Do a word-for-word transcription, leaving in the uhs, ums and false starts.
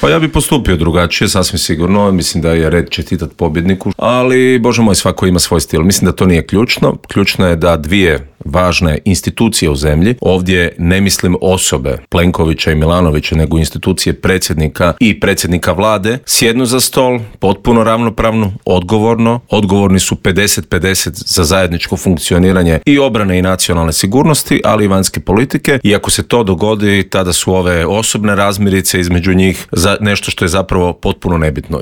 Pa ja bi postupio drugačije, sasvim sigurno. Mislim da je red čestitat pobjedniku, ali bože moj, svako ima svoj stil. Mislim da to nije ključno. Ključno je da dvije važne institucije u zemlji, ovdje ne mislim osobe Plenkovića i Milanovića, nego institucije predsjednika i predsjednika vlade, sjednu za stol potpuno ravnopravno, odgovorno. Odgovorni su pedeset pedeset za zajedničko funkcioniranje i obrane i nacionalne sigurnosti, ali i vanjske politike. I ako se to dogodi, tada su ove osobne razmirice između njih za nešto što je zapravo potpuno nebitno.